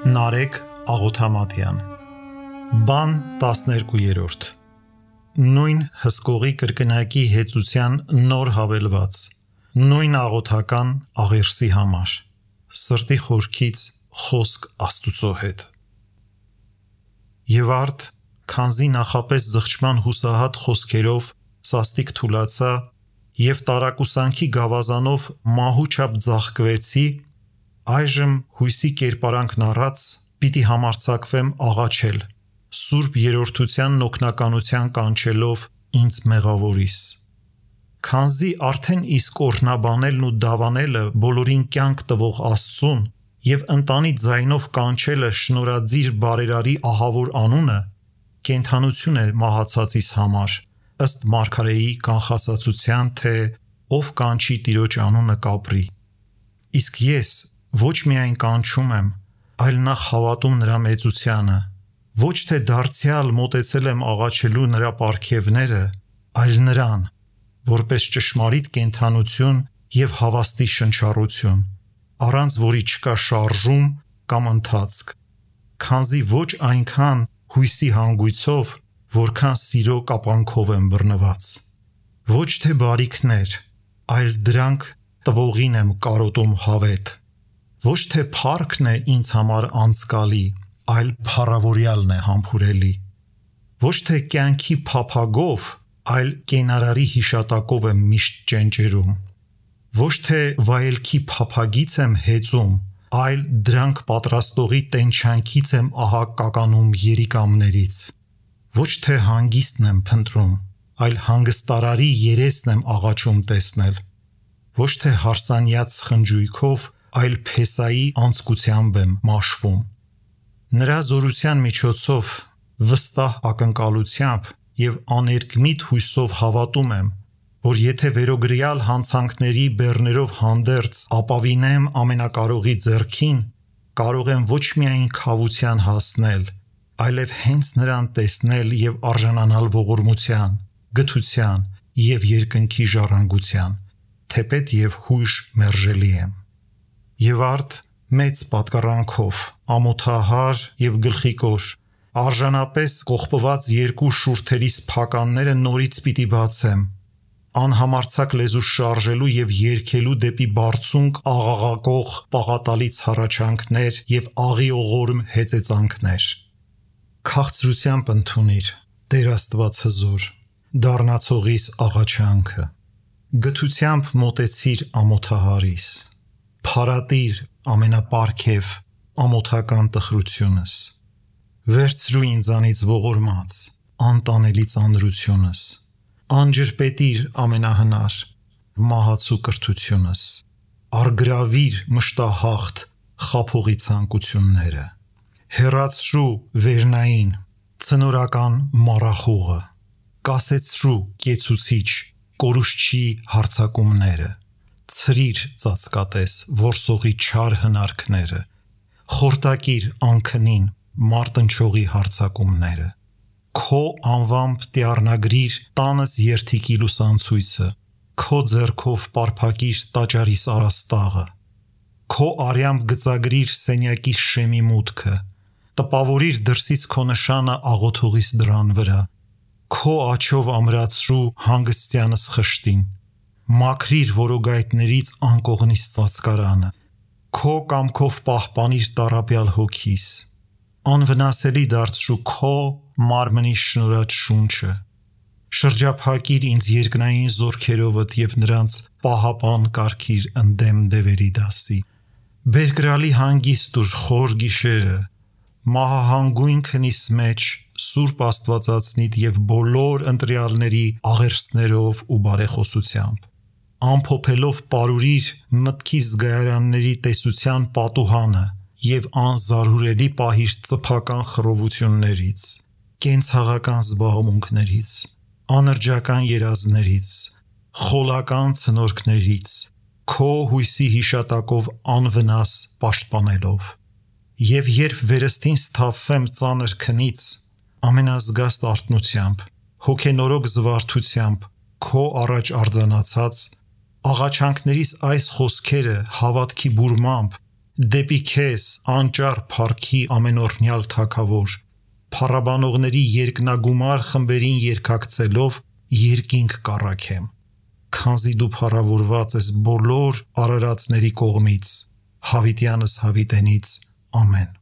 Նարեկ Աղոթամատյան Բան 12-րդ Նույն հսկողի կրկնակի հեծության նոր հավելված Նույն աղոթական աղերսի համար Սրտի խորքից խոսք Աստուծո հետ Եվ արդ քանզի նախապես զղջման հուսահատ խոսքերով սաստիկ թուլացա և տարակուսանքի գավազանով մահու չափ ձաղկվեցի Այժմ հույսի կերպարանքն առած պիտի համարձակվեմ աղաչել, սուրբ երրորդության օգնականության կանչելով ինձ մեղավորիս։ Քանզի արդեն իսկ օրհնաբանելն ու դավանելը բոլորին կյանք տվող Աստծուն և ընտանի ձայնով կանչելը շնորհաձիր բարերարի ահավոր անունը կենդանություն է մահացածիս համար, ըստ մարգարեի կանխասացության, թե ով կանչի Տիրոջ անունը կապրի։ Իսկ ես ոչ միայն կանչում եմ, այլ նախ հավատում նրա մեծությանը, ոչ թե դարձյալ մոտեցել եմ աղաչելու նրա պարգևները, այլ նրան, որպես ճշմարիտ կենդանություն և հավաստի շնչառություն, առանց որի չկա շարժում կամ ընթացք, քանզի ոչ այնքան հույսի հանգույցով, որքան սիրո կապանքով եմ բռնված։ Ոչ թե բարիքներ, այլ դրանք տվողին եմ կարոտում հավետ։ Ոչ թե փառքն է ինձ համար անցկալի, այլ փառավորյալն է համբուրելի։ Ոչ թե կյանքի փափագով, այլ կենարարի հիշատակով եմ միշտ ճենճերում։ Ոչ թե վայելքի փափագից եմ հեծում, այլ դրանք պատրաստողի տենչանքից եմ ահա կականում երիկամներից։ Ոչ թե հանգիստն եմ փնտրում, այլ հանգստարարի երեսն եմ աղաչում տեսնել։ Ոչ թե հարսանյաց խնջույքով, այլ Փեսայի անձկությամբ եմ մաշվում։ Նրա զորության միջոցով վստահ ակնկալությամբ և աներկմիտ հույսով հավատում եմ, որ եթե վերոգրյալ հանցանքների բեռներով հանդերձ ապավինեմ ամենակարողի ձեռքին, կարող եմ ոչ միայն քավության հասնել, այլև հենց նրան տեսնել և արժանանալ ողորմության, գթության և երկնքի ժառանգության, թեպետ և հույժ մերժելի եմ։ Եվ արդ մեծ պատկառանքով, ամոթահար և գլխիկոր, արժանապես կողպված երկու շուրթերիս փականները նորից պիտի բացեմ, անհամարձակ լեզու շարժելու և երգելու դեպի բարձունք աղաղակող պաղատալից հառաչանքներ և աղիողորմ հեծեծանքներ։ Քաղցրությամբ ընդունիր, Տեր Աստված հզոր, դառնացողիս աղաչանքը, գթությամբ մոտեցիր ամոթահարիս, փարատիր ամենապարգև ամոթական տխրությունս, վերցրու ինձանից ողորմած, անտանելի ծանրությունս, անջրպետիր ամենահնար, մահացու կրթությունս, առգրավիր մշտահաղթ խաբողի ցանկությունները, հեռացրու վերնային, ցնորական մառախուղը, կասեցրու կեցուցիչ, կորուստչի հարձակումները, ցրիր ծածկատես որսողի չար հնարքները, խորտակիր անքնին մարտնչողի հարձակումները, քո անվամբ տյառնագրիր տանս երդիքի լուսանցույցը, քո ձեռքով պարփակիր տաճարիս առաստաղը, քո արյամբ գծագրիր սենյակիս շեմի մուտքը, տպավորիր դրսից քո նշանը աղոթողիս դռան վրա, քո աջով ամրացրու հանգստյանս խշտին, մաքրիր որոգայթներից անկողնիս ծածկարանը, քո կամքով պահպանիր տառապյալ հոգիս, անվնասելի դարձրու քո մարմնի շնորհած շունչը, շրջափակիր ինձ երկնային զորքերովդ և նրանց պահապան կարգիր ընդդեմ դևերի դասի, բերկրալի հանգիստ ուր խոր գիշերը, մահահանգույն քնիս մեջ Սուրբ Աստվածածնիդ և բոլոր ընտրյալների աղերսներով ու բարեխոսությամբ, ամփոփելով պարուրիր մտքիս զգայարանների տեսության պատուհանը և անզարհուրելի պահիր ծփական խռովություններից, կենցաղական զբաղմունքներից, անրջական երազներից, խոլական ցնորքներից, քո հույսի հիշատակով անվնաս պաշտպանելով։ Եվ երբ վերստին սթափվեմ ծանր քնից, ամենազգաստ արթնությամբ, հոգենորոգ զվարթությամբ, քո առաջ արձանացած, աղաչանքներիս այս խոսքերը հավատքի բուրմամբ Դեպի քեզ անճար փառքի ամենօրհնյալ թագավոր, փառաբանողների երկնագումար խմբերին երկակցելով երկինք կառաքեմ, քանզի դու փառավորված ես բոլոր արարածների կողմից, հավիտյանս հավիտենից, ամեն։